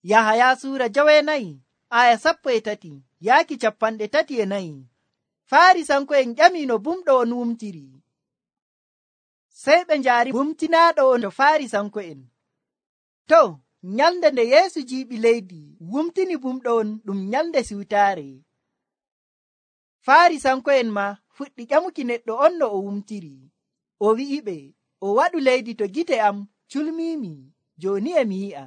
Yahaya suura 9:13 yaaki 34. Farisanko'en ƴami no bumɗo on wumtiri. Sey ɓe njaari bumtinaaɗo on to Farisanko'en. To, nyalnde nde Yeesu jiiɓi leydi wumtini bumɗo on ɗum nyalnde siwtaare. Farisanko'en ma fuɗɗi ƴamuki neɗɗo on no o wumtiri. O wi'iɓe, o waɗu leydi to gite am culmiimi, jooni e mi yi'a.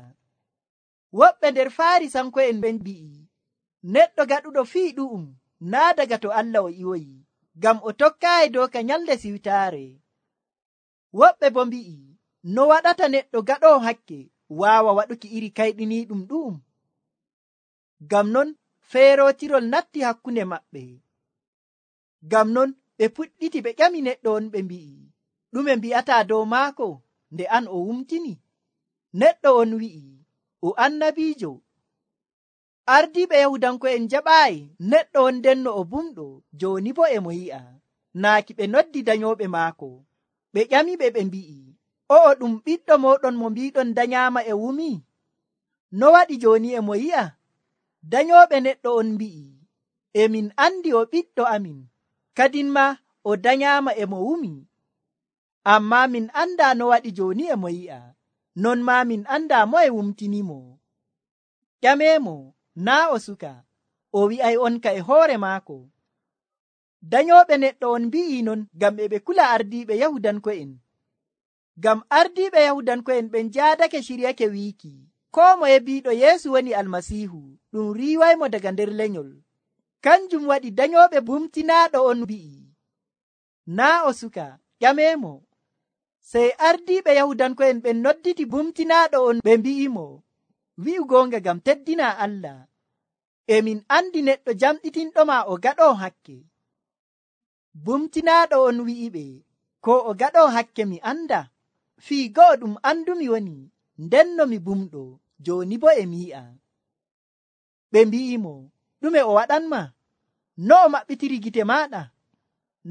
Woɓɓe nder Farisanko'en ɓen mbi'i, neɗɗo gaɗuɗo fii ɗu'um naa daga to Allah o iwoyi, ngam o tokkaayi doka nyalnde siwtaare. Woɓɓe bo mbi'i, no waɗata neɗɗo gaɗoowo hakke waawa waɗuki iri kayɗiniiɗum ɗu'um? Ngam non feerootirol natti hakkunde maɓɓe. Ngam non ɓe puɗɗiti ɓe ƴami neɗɗo on ɓe mbi'i, ɗume mbi'ataa dow maako nde an o wumtini? Neɗɗo on wi'i, o annabiijo. Ardiiɓe Yahudanko'en jaɓaayi neɗɗo on ndenno o bumɗo, jooni bo e mo yi'a. Naaki ɓe noddi danyooɓe maako. Ɓe ƴamiɓe ɓe mbi'i, o'o ɗum ɓiɗɗo mooɗon mo mbiiɗon danyaama e wumi? No waɗi jooni e mo yi'a? Danyooɓe neɗɗo on mbi'i, emin andi o ɓiɗɗo amin, kadin ma o danyaama e mo wumi. Ammaa min andaa no waɗi jooni e mo yi'a, non maa min andaa moye wumtinimo. Ƴameemo, naa o suka, o wi'ay on ka e hoore maako. Danyooɓe neɗɗo on mbi'i non ngam e ɓe kula ardiiɓe Yahudanko'en. Ngam ardiiɓe Yahudanko'en ɓen jaadake shiryake wiiki, koo moye biiɗo Yeesu woni Almasiihu, ɗum riiwaymo daga nder lenyol. Kanjum waɗi danyooɓe bumtinaaɗo on mbi'i, naa o suka, ƴameemo. Sey ardiiɓe Yahudanko'en ɓen nodditi bumtinaaɗo on ɓe mbi'imo, wi'u goonga ngam teddina Allah. Emin andi neɗɗo jamɗitinɗoma o gaɗoo hakke. Bumtinaaɗo on wi'iɓe, ko o gaɗoo hakke mi anda. Fii go'o ɗum andumi woni, ndenno mi bumɗo, jooni bo e mi yi'a. Ɓe mbi'imo, ɗume o waɗanma? No o maɓɓitiri gite maaɗa?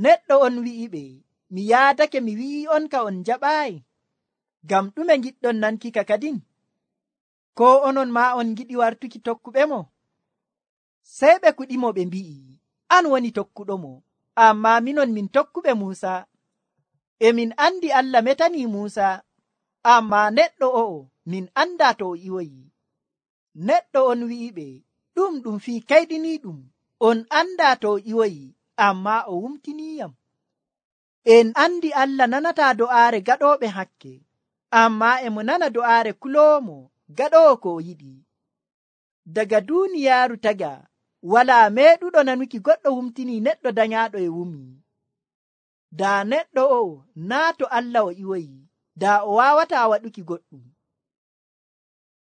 Neɗɗo on wi'iɓe, mi yaadake mi wi'i on ka on jaɓaayi. Ngam ɗume ngiɗɗon nankika kadin? Ko onon maa on ngiɗi wartuki tokkuɓe mo? Sey ɓe kuɗimo ɓe mbi'i, an woni tokkuɗo mo, ammaa minon min tokkuɓe Muusa. Emin andi Allah metanii Muusa, ammaa neɗɗo o'o min andaa to o iwoyi. Neɗɗo on wi'iɓe, ɗum fii kayɗiniiɗum, on andaa to o iwoyi, ammaa o wumtiniiyam. En andi Allah nanataa do'aare gaɗooɓe hakke, ammaa e mo nana do'aare kuloomo gaɗoowo ko o yiɗi. Daga duuniyaaru taga, walaa meeɗuɗo nanuki goɗɗo wumtinii neɗɗo danyaaɗo e wumi. Daa neɗɗo o'o naa to Allah o iwoyi, daa o waawataa waɗuki goɗɗum.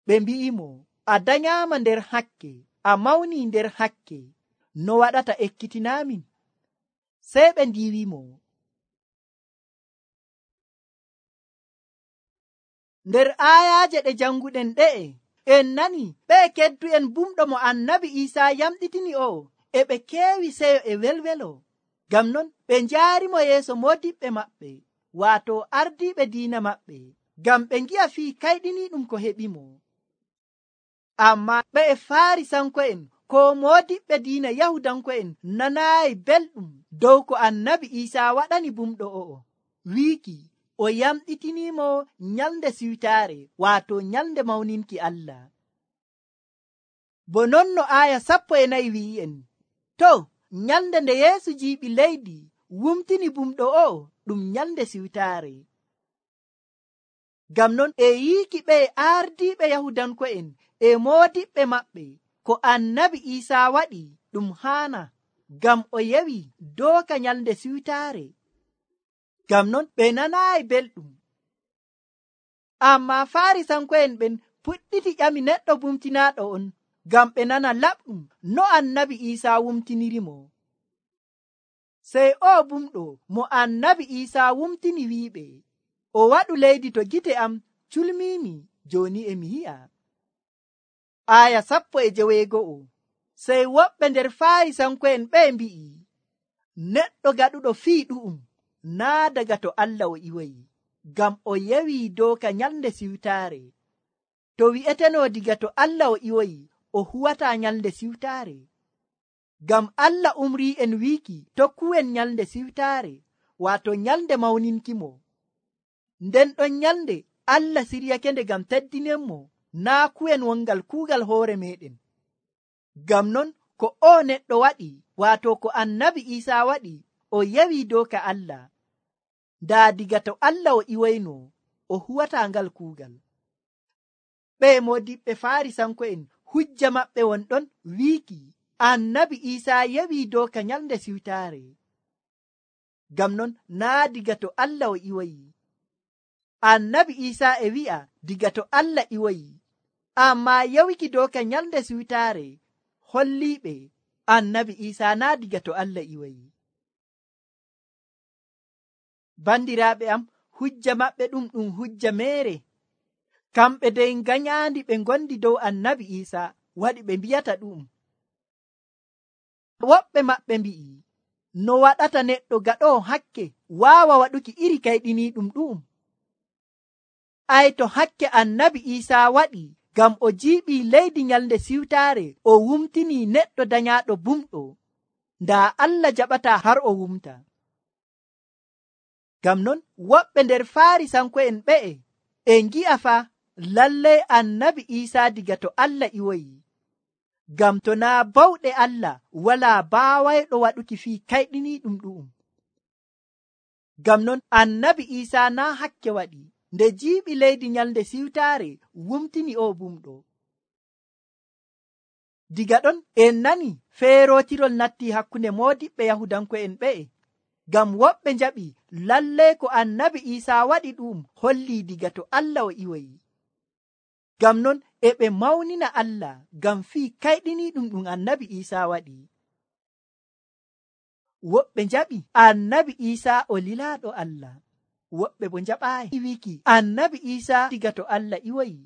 Ɓe mbi'imo, a danyaama nder hakke, a mawnii nder hakke, no waɗata ekkitinaamin? Sey ɓe ndiiwimo. Nder aayaaje ɗe janguɗen ɗe'e, en nani ɓe keddu'en bumɗo mo annabi Iisaa yamɗitini o'o e ɓe keewi seyo e welwelo. Ngam non ɓe njaarimo yeeso moodiɓɓe maɓɓe, waato ardiiɓe diina maɓɓe, ngam ɓe ngi'a fii kayɗiniiɗum ko heɓimo. Ammaa ɓe e Farisanko'en ko moodiɓɓe diina Yahudanko'en nanaayi belɗum dow ko annabi Iisaa waɗani bumɗo o'o, wiiki o yamɗitiniimo nyalnde siwtaare, waato nyalnde mawninki Allah. Bo non no aaya 14 wi'i'en, to, nyalnde nde Yeesu jiiɓi leydi wumtini bumɗo o'o ɗum nyalnde siwtaare. Ngam non e yiiki ɓe ardiiɓe Yahudanko'en e moodiɓɓe maɓɓe ko annabi Iisaa waɗi ɗum haana, ngam o yewi dooka nyalnde siwtaare. Ngam non ɓe nanaayi belɗum. Ammaa Farisanko'en ɓen puɗɗiti ƴami neɗɗo bumtinaaɗo on, ngam ɓe nana laɓɗum no annabi Iisaa wumtinirimo. Sey o bumɗo mo annabi Iisaa wumtini wi'iɓe, o waɗu leydi to gite am culmiimi, jooni e mi yi'a. Aaya 19. Sey woɓɓe nder Farisanko'en ɓe mbi'i, neɗɗo gaɗuɗo fii ɗu'um naa daga to Allah o iwoyi, ngam o yewi doka nyalnde siwtaare. to wi'eteno diga to Allah o iwoyi o huwata nyalde siwtaare. Ngam Allah umri en wiiki tokkuwen nyalde siwtaare, wato nyalde mawninkimo. Nden ɗon nyalde Allah siryakende ngam teddinenmo, naa kuwen wongal kuugal hoore meɗen. Ngam non ko o neɗɗo waɗi, wato ko annabi Isaa waɗi, o yewi doka Allah. Daa diga to Allah o iwoyno o huwata ngal kuugal. Ɓe modiɓɓe Farisanko'en hujja maɓɓe wonɗon wiiki annabi Isaa yewi doka nyalde siwtaare. Ngam non naa diga to Allah o iwoyi. Annabi Isaa e wi'a diga to Allah iwoyi, amma yewiki doka nyalde siwtaare holliɓe annabi Isaa naa diga to Allah iwoyi. Bandiraaɓe am, hujja maɓɓe ɗum hujja meere. Kamɓe dey ganyaandi ɓe gondi dow annabi Isaa waɗi ɓe mbiyata ɗum. Woɓɓe maɓɓe mbi'i no waɗata neɗɗo gaɗo hakke waawa waɗuki iri kayɗiniiɗum ɗum. Ay to hakke annabi Isaa waɗi ngam o jiiɓii leydi nyalde siwtaare o wumtini neɗɗo danyaaɗo bumɗo, ndaa Allah jaɓata har o wumta. Ngam non woɓɓe nder Farisanko'en ɓe'e e ngi'a fa lallay annabi Isaa diga to Allah iwoyi. Ngam to naa bawɗe Allah walaa baawayɗo waɗuki fii kayɗiniiɗum ɗum. Ngam non annabi Isaa naa hakke waɗi nde jiiɓi leydi nyalde siwtaare wumtini o bumɗo. Diga ɗon en nani feerotirol natti hakkunde moodiɓɓe Yahudanko'en ɓe'e. Ngam woɓɓe njaɓi lallay ko annabi Isaa waɗi ɗum holli diga to Allah o iwoyi. Ngam non e ɓe mawnina Allah ngam fii kayɗiniiɗum ɗum annabi Isaa waɗi. Woɓɓe njaɓi annabi Isaa o lilaaɗo Allah, woɓɓe bo njaɓaayi wiiki annabi Isaa diga to Allah iwoyi.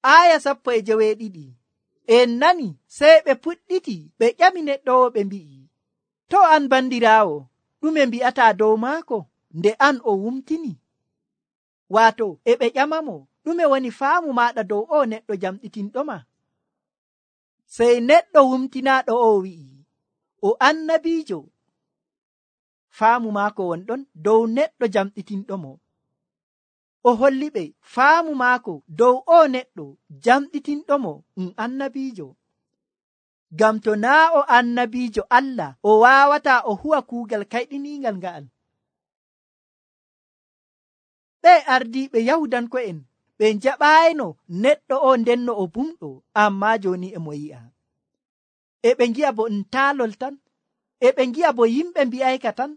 Aya 12 en nani sey ɓe puɗɗiti ɓe ƴami neɗɗo o ɓe mbi'i, to an bandiraawo ɗume mbi'ata dow maako nde an o wumtini? Waato e ɓe ƴamamo ɗume woni faamu maɗa dow o neɗɗo jamɗitinɗoma? Sey neɗɗo wumtinaaɗo o wi'i o annabiijo. Faamu maako wonɗon dow neɗɗo jamɗitinɗomo. O holli ɓe faamu maako dow o neɗɗo jamɗitinɗomo annabiijo. Ngam to naa o annabiijo Allah o waawata o huwa kuugal kayɗiniingal nga'al. Ɓe ardiiɓe Yahudanko'en ɓe njaɓaayno neɗɗo o ndenno o bumɗo, amma jooni e mo yi'a. E ɓe ngi'a bo taalol tan, e ɓe ngi'a bo yimɓe mbi'ayka tan.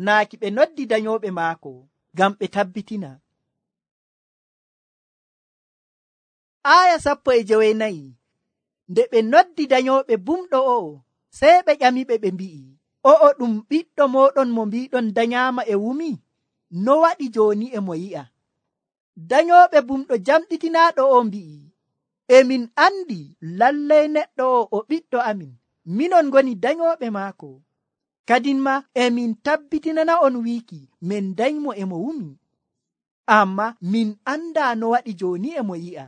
Naaki ɓe noddi danyooɓe maako ngam ɓe tabbitina. Aya 14 nde ɓe noddi danyooɓe bumɗo o, sey ɓe ƴamiɓe ɓe mbi'i, o'o ɗum ɓiɗɗo moɗon mo mbiɗon danyaama e wumi? No waɗi jooni e mo yi'a? Danyooɓe bumɗo jamɗitinaaɗo o mbi'i, emin andi lallay neɗɗo o ɓiɗɗo amin, minon ngoni danyooɓe maako. Kadin ma emin tabbitinana on wiiki min danymo e mo wumi. Amma min anda no waɗi jooni e mo yi'a.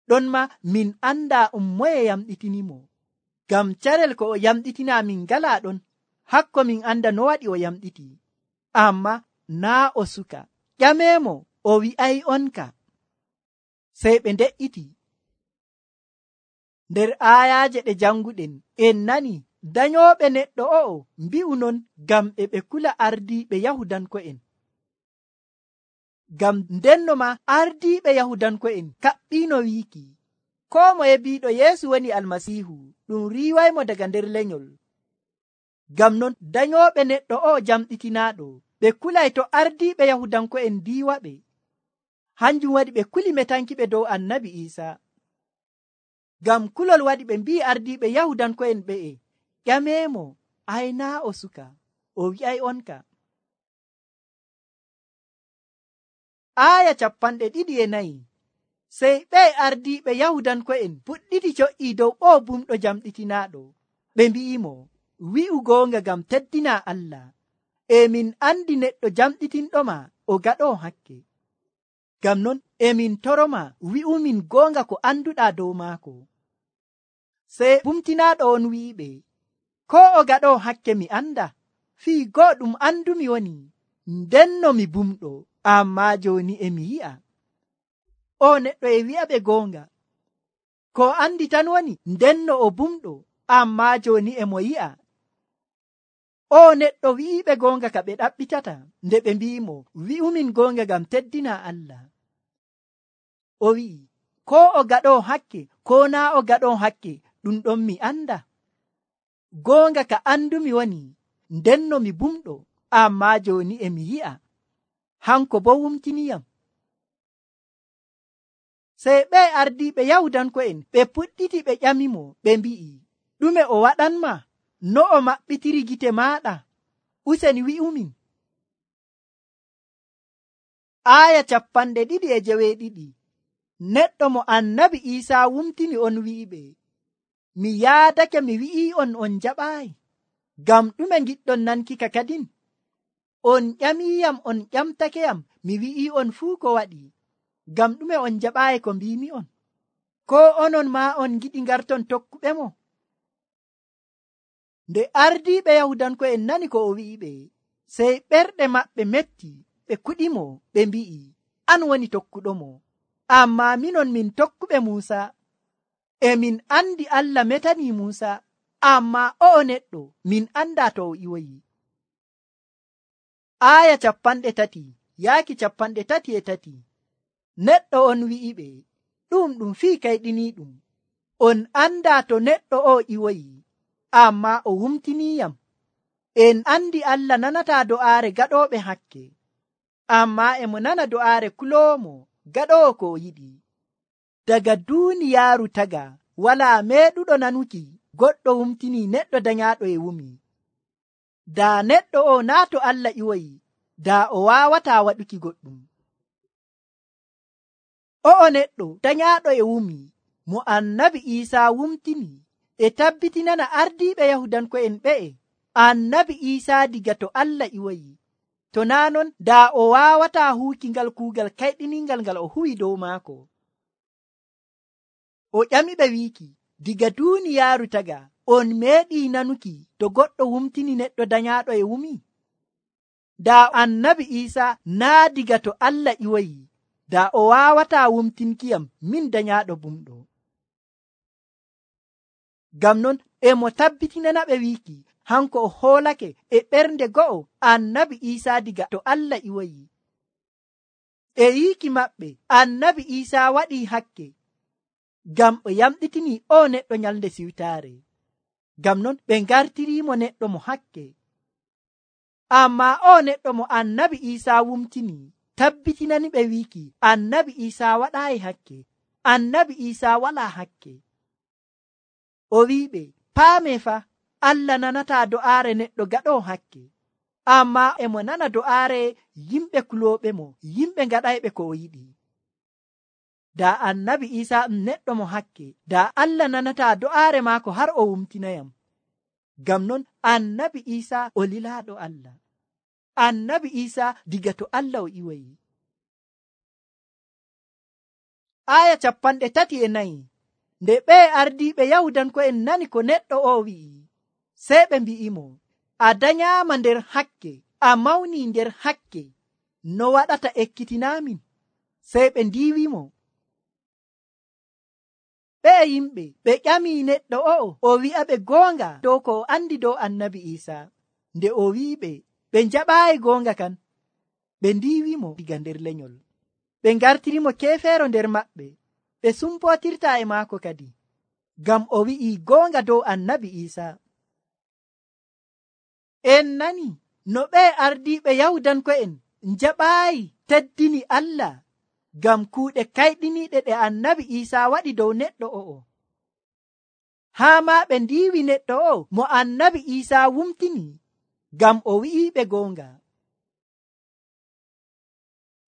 Ɗon ma min anda moye yamɗitinimo. Ngam carel ko o yamɗitina min ngala ɗon, hakko min anda no waɗi o yamɗiti. Amma naa o suka. Ƴamemo o wi'ay onka. Sey ɓe nde'iti. Nder ayaaje ɗe janguɗen en nani danyooɓe neɗɗo o'o mbi'u non ngam e ɓe kula ardiiɓe Yahudanko'en. Ngam ndenno ma ardiiɓe Yahudanko'en kaɓɓiino wiiki ko moye biiɗo Yeesu woni Almasiihu ɗum riiwaymo daga nder lenyol. Ngam non danyooɓe neɗɗo o jamɗitinaaɗo ɓe kulay to ardiiɓe Yahudanko'en diiwaɓe. Hanjum waɗi ɓe kuli metankiɓe dow annabi Isaa. Ngam kulol waɗi ɓe mbi'i ardiiɓe Yahudanko'en ɓe'e, ƴameemo aynaa o suka, o wi'ay onka. Aya 24 sey ɓe ardiiɓe Yahudanko'en puɗɗiti co'ii dow o bumɗo jamɗitinaaɗo. Ɓe mbi'imo, wi'u goonga ngam teddina Allah. E min andi neɗɗo jamɗitinɗoma o gaɗo hakke. Ngam non emin toroma wi'umin gonga ko anduɗa dow maako. Sey bumtinaɗo on wi'iɓe, ko o gaɗo hakke mi anda, fii goo ɗum andumi woni, ndenno mi bumɗo, amma joni emi yi'a. O neɗɗo e wi'aɓe gonga, ko andi tan woni ndenno o bumɗo, amma joni emo yi'a. O neɗɗo wi'iɓe gonga ka ɓe ɗaɓɓitata nde ɓe mbi'imo wi'umin gonga ngam teddina Allah. O wi'i, ko o gaɗo hakke ko na o gaɗo hakke ɗum ɗon mi anda. Gonga ka andumi woni ndenno mi bumɗo, amma joni emi yi'a. Hanko bo wumtiniyam. Sey ɓe ardiɓe Yahudanko'en ɓe puɗɗiti ɓe ƴamimo, ɓe mbi'i, ɗume o waɗanma? No o maɓɓitiri gite maaɗa? Useni wi'umin. Aya 2:2. Neɗɗo mo Annabi Iisaa wumtini on wi'iɓe, mi yaadake mi wi'i on jaɓaayi. Ngam ɗume giɗɗon nanki ka kadin? On ƴamiyam on ƴamtakeyam mi wi'i on fuu ko waɗi. Ngam ɗume on jaɓaayi ko mbimi on? Ko onon ma on giɗi ngarton tokkuɓe mo? Nde ardiiɓe Yahudanko'en nani ko o wi'iɓe, sey ɓerɗe maɓɓe metti, ɓe kuɗimo, ɓe mbi'i, an woni tokkuɗo mo, amma minon min tokkuɓe Muusa. E min andi Allah metani Muusa, amma o'o neɗɗo min anda to o iwoyi. Aya 3:33. Neɗɗo on wi'iɓe, ɗum fii kayɗiniiɗum. On anda to neɗɗo o iwoyi, amma o wumtiniyam. En andi Allah nanata do'aare gaɗoɓe hakke, amma emo nana do'aare kuloomo gaɗowo ko o yiɗi. Daga duuniyaaru taga wala meeɗuɗo nanuki goɗɗo wumtini neɗɗo danyaɗo e wumi. Da neɗɗo o naa to Allah iwoyi, da o wawata waɗuki goɗɗum. O'o neɗɗo danyaɗo e wumi mo Annabi Iisaa wumtini e tabbitinana ardiiɓe Yahudanko'en ɓe'e Annabi Iisaa diga to Allah iwoyi. To naa non da o wawata huuki ngal kuugal kayɗiningal ngal o huwi dow maako. O ƴamiɓe wiiki, diga duuniyaaru taga on meeɗi nanuki to goɗɗo wumtini neɗɗo danyaɗo e wumi? Da Annabi Iisaa naa diga to Allah iwoyi, da o wawata wumtinkiyam min danyaɗo bumɗo. Ngam non emo tabbitinana ɓe wiiki hanko o hoolake e ɓernde go'o Annabi Iisaa diga to Allah iwoyi. E yiiki maɓɓe Annabi Iisaa waɗi hakke ngam o yamɗitini o neɗɗo nyalnde siwtaare. Ngam non ɓe ngartirimo neɗɗo mo hakke. Amma o neɗɗo mo Annabi Iisaa wumtini tabbitinani ɓe wiiki Annabi Iisaa waɗaayi hakke. Annabi Iisaa wala hakke. O wi'iɓe, paame fa, Allah nanata do'aare neɗɗo gaɗo hakke, amma emo nana do'aare yimɓe kulooɓe mo, yimɓe ngaɗayɓe ko o yiɗi. Da Annabi Iisaa neɗɗo mo hakke, da Allah nanata do'aare maako har o wumtinayam. Ngam non Annabi Iisaa o lilaaɗo Allah. Annabi Iisaa diga to Allah o iwoyi. Aya 34. Nde ɓe ardiiɓe Yahudanko'en nani ko neɗɗo o wi'i, sey ɓe mbi'imo, a danyaama nder hakke, a mawni nder hakke, no waɗata ekkitinaamin? Sey ɓe ndiiwimo. Ɓe yimɓe ɓe ƴami neɗɗo o wi'aɓe goonga dow ko o andi dow Annabi Iisaa. Nde o wi'iɓe ɓe njaɓaayi goonga kan, ɓe ndiiwimo diga nder lenyol. Ɓe ngartirimo keefeero nder maɓɓe, ɓe sumpootirta e maako kadi, ngam o wi'i goonga dow Annabi Iisaa. En nani no ɓe ardiiɓe Yahudanko'en njaɓaayi teddini Allah ngam kuuɗe kayɗiniiɗe ɗe Annabi Iisaa waɗi dow neɗɗo o'o. Haa ma ɓe ndiiwi neɗɗo o mo Annabi Iisaa wumtini ngam o wi'iɓe goonga.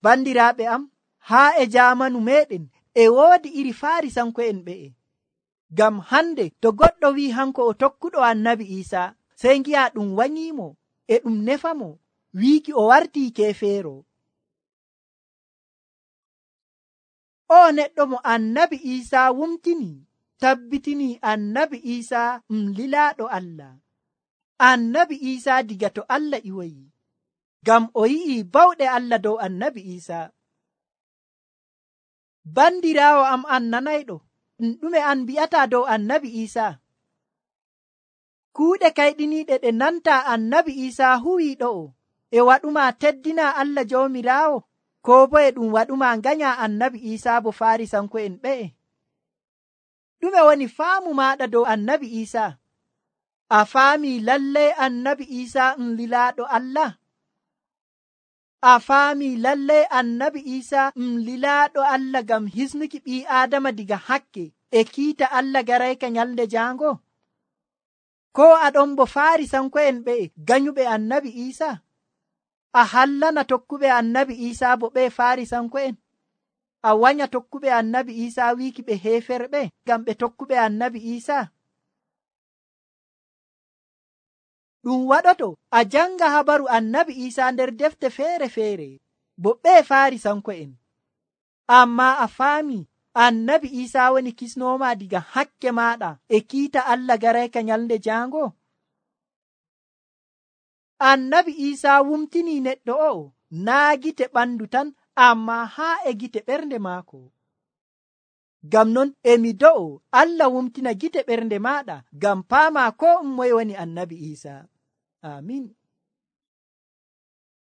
Bandiraaɓe am, haa e jaamanu meɗen e woodi iri Faarisanko'en ɓe'e. Ngam hande to goɗɗo wi hanko o tokkuɗo Annabi Iisaa, sey ngi'a ɗum wanyimo e ɗum nefamo wiiki o wartii keefeero. o neɗɗo mo annabi Isa wumtini tabbitini annabi Isa lilaaɗo Allah. Annabi Isa diga to Allah iwoyi, ngam o yi'i bawɗe Allah dow annabi Isa. Bandiraawo am an nanayɗo, ɗume an mbi'ata dow annabi Isa? Kuuɗe kayɗiniiɗe ɗe nanta annabi Isa huwi ɗo'o e waɗuma teddina Allah Joomiraawo, ko bo e ɗum waɗuma nganya annabi Isa bo Farisanko'en ɓe'e? Ɗume woni faamu maɗa dow annabi Isa? A faami lallay annabi Isa lilaaɗo Allah? A faami lallay annabi Isa lilaaɗo Allah ngam hisnuki ɓii Aadama diga hakke e kiita Allah garayka nyalnde jaango? Ko aɗon bo Farisanko'en ɓe'e ganyuɓe annabi Isa? A hallana tokkuɓe annabi Isa bo ɓe Farisanko'en? A wanya tokkuɓe annabi Isa wiiki ɓe heeferɓe ngam ɓe tokkuɓe annabi Isa? Ɗum waɗoto a janga habaru annabi Isa nder defte feere-feere bo ɓe Farisanko'en, amma a faami annabi Isa woni kisnoma diga hakke maɗa e kiita Allah garayka nyalnde jaango. Annabi Isa wumtini neɗɗo o'o naa gite ɓandu tan, amma haa e gite ɓernde maako. Ngam non emi do'o Allah wumtina gite ɓernde maɗa ngam paama ko moye woni annabi Isa. Amin.